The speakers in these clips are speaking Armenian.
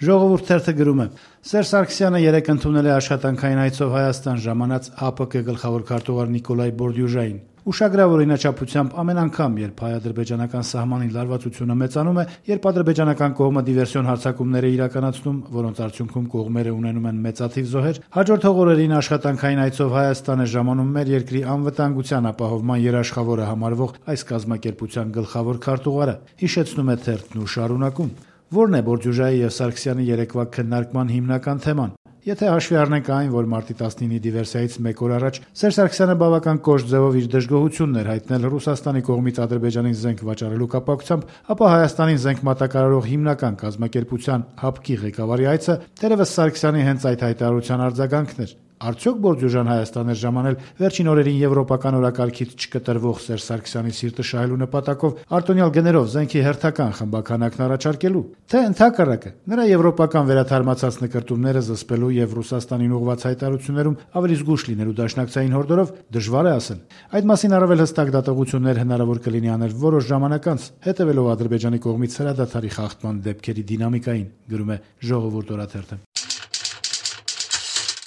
Ժողովուրդ թերթը գրում է. Սերժ Սարգսյանը երեկ ընդունել է աշխատանքային այցով Հայաստան ժամանած ՀԱՊԿ գլխավոր քարտուղար Նիկոլայ Բորդյուժային։ Ուշագրավ օրինաչափությամբ ամեն անգամ, երբ հայ-ադրբեջանական սահմանի լարվածությունը մեծանում է, երբ ադրբեջանական կողմը դիվերսիոն հարձակումներ է իրականացնում, որոնց արդյունքում կողմերը ունենում են մեծաթիվ զոհեր, հաջորդող օրերին աշխատանքային այցով Հայաստան է ժամանում մեր երկրի անվտանգության ապահովման երաշխավորը համարվող այս կազմակերպության գլխավոր քարտուղարը, հիշեցնում է թերթն ու շարունակում. Որն է Բորդյուժայի եւ Սարգսյանի երեկվա քննարկման հիմնական թեման։ Եթե հաշվի առնենք այն, որ մարտի 19-ի դիվերսիայից մեկ օր առաջ Սերժ Սարգսյանը բավական կոշտ ձևով իր դժգոհությունն էր հայտնել Ռուսաստանի կողմից Ադրբեջանին զենք վաճառելու կապակցությամբ, ապա Հայաստանին զենք մատակարարող հիմնական կազմակերպության ՀԱՊԿ-ի ղեկավարի այցը թերևս Սարգսյանի հենց այդ հայտարարության արձագանքն էր։ Արդյոք Բորդյուժան Հայաստան էր ժամանել վերջին օրերին եվրոպական օրակարգից չկտրվող Սերժ Սարգսյանի սիրտը շահելու նպատակով արտոնյալ գներով զենքի հերթական խմբականակն առաջարկելու, թե ընդհակառակը նրա եվրոպական վերաթարմացած նկրտումները զսպելու եւ Ռուսաստանին ուղղված հայտարարություններում ավելի զգուշ լինելու դաշնակցային հորդորով դժվար է ասել։ Այդ մասին առավել հստակ դատողություններ հնարավոր կլինի անել որոշ ժամանակ անց, հետևելով Ադրբեջանի կողմից հրադադարի խախտման դեպքերի դինամիկային, գրում է Ժողովուրդ օրաթերթը։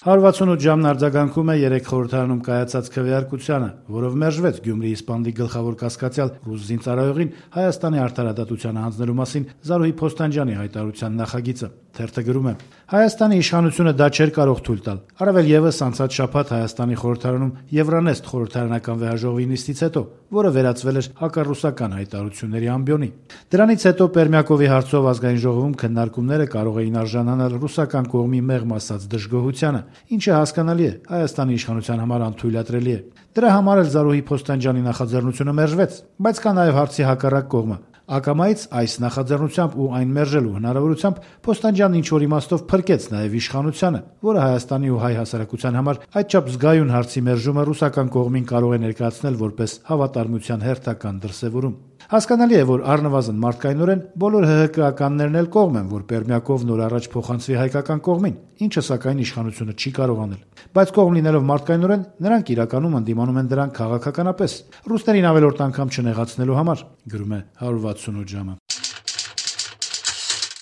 168 ժամն արձագանքում է 3 խորհրդարանում կայացած քվեարկությանը, որով մերժվեց Գյումրիի Սպանդի գլխավոր կասկածյալ ռուս զինծառայողին Հայաստանի արդարադատությանը հանձնելու մասին Զարուհի Փոստանջյանի հայտարարության նախագիծը։ Թերթը գրում է. Հայաստանի իշխանությունը դա չէր կարող թույլ տալ։ Առավել եւս անցած շաբաթ Հայաստանի խորհրդարանում Եվրանեստ խորհրդարանական վեհաժողովի նիստից հետո, որը վերածվել էր հակառուսական հայտարարությունների ամբիոնի։ Դրանից հետո Պերմյակովի հարցով ազգային ժողովում քննարկումները կարող էին արժանանալ ռուսական կողմի մեղմ ասած դժգոհությանը, ինչը հասկանալի է, Հայաստանի իշխանության համար անթույլատրելի է։ Դրա համար էլ Զարուհի Փոստանջյանի նախաձեռնությունը մերժվեց, բայց կա նաև հարցի հակառակ կողմը։ Ակամայից այս նախաձեռնությամբ ու այն մերժելու հնարավորությամբ Փոստանջյանն ինչ-որ իմաստով փրկեց նաև իշխանությանը, որը Հայաստանի ու հայ հասարակության համար այդչափ զգայուն հարցի մերժումը ռուսական կողմին կարող է ներկայացնել որպես հավատարմության հերթական դրսևորում։ Հասկանալի է, որ առնվազն մարդկայնորեն բոլոր ՀՀԿ-ականներն էլ կողմ են, որ Պերմյակով նոր առաջ փոխանցվի հայկական կողմին, ինչը սակայն իշխանությունը չի կարող անել։ Բայց կողմ լինելով մարդկայնորեն, նրանք իրականում ընդդիմանում են դրան քաղաքականապես, ռուսներին ավելորդ անգամ չնեղացնելու համար, գրում է 168 ժամը։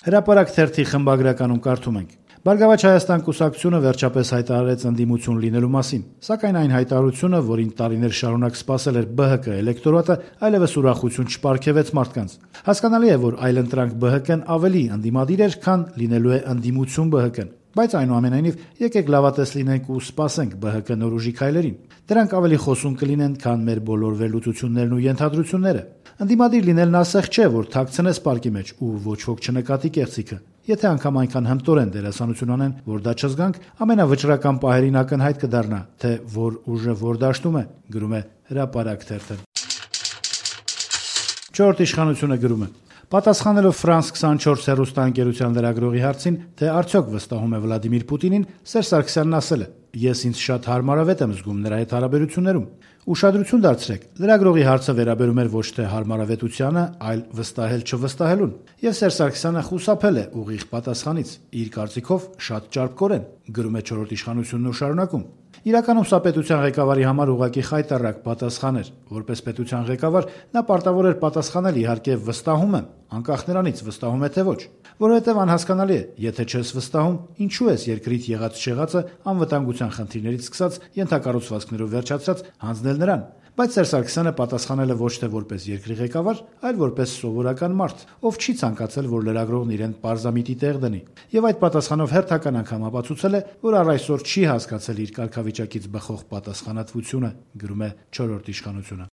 Հրապարակ թերթի խմբագրականում կարդում ենք. Բարգավաճ Հայաստան կուսակցությունը վերջապես հայտարարեց ընդդիմություն լինելու մասին, սակայն այն հայտարարությունը, որին տարիներ շարունակ սպասել էր ԲՀԿ էլեկտորատը, այլևս ուրախություն չպարգևեց մարդկանց։ Հասկանալի է, որ այլընտրանք ԲՀԿ-ն ավելի ընդդիմադիր էր, քան լինելու է ընդդիմություն ԲՀԿ-ն։ Բայց այնուամենայնիվ եկեք լավատես լինենք ու սպասենք ԲՀԿ նոր ուժի քայլերին։ Դրանք ավելի խոսուն կլինեն, քան մեր բոլոր վերլուծություններն ու ենթադրությունները։ Ընդդիմադիր լինելն ասեղ չէ, որ թաքցնես պարկի մեջ ու ոչ ոք չնկատի կեղծիքը։ Եթե անգամ այնքան հմտորեն դերասանություն անեն, որ դա չզգանք, ամենավճռական պահերին ակնհայտ կդառնա, թե որ ուժը որ դաշտում է, գրում է Հրապարակ թերթը։ Չորրորդ իշխանությունը գրում է. Պատասխանելով France 24 հեռուստաընկերության լրագրողի հարցին, թե արդյոք վստահում է Վլադիմիր Պուտինին, Սերժ Սարգսյանն ասել է. Ես ինձ շատ հարմարավետ եմ զգում նրա հետ հարաբերություններում։ Ուշադրություն դարձրեք, լրագրողի հարցը վերաբերում էր ոչ թե հարմարավետությանը, այլ վստահել չվստահելուն։ Եվ Սերժ Սարգսյանը խուսափել է ուղիղ պատասխանից, իր կարծիքով շատ ճարպկորեն, գրում է Չորրորդ իշխանությունն ու շարունակում. Իրականում սա պետության ղեկավարի համար ուղղակի խայտառակ պատասխան էր։ Որպես պետության ղեկավար նա պարտավոր էր պատասխանել իհարկե վստահում եմ, անկախ նրանից վստահում է թե ոչ, որովհետև անհասկանալի է, եթե չես վստահում, ինչու ես երկրից եղած չեղածը անվտանգության խնդիրներից սկսած ենթակառուցվածքներով վերջացած հանձնել նրան։ Բայց Սերժ Սարգսյանը պատասխանել է ոչ թե որպես երկրի ղեկավար, այլ որպես սովորական մարդ, ով չի ցանկացել, որ լրագրողն իրեն պարզամիտի տեղ դնի։ Եվ այդ պատասխանով հերթական անգամ ապացուցել է, որ առ այսօր չի հասկացել իր կարգավիճակից բխող պատասխանատվությունը, գրում է Չորրորդ իշխանությունը։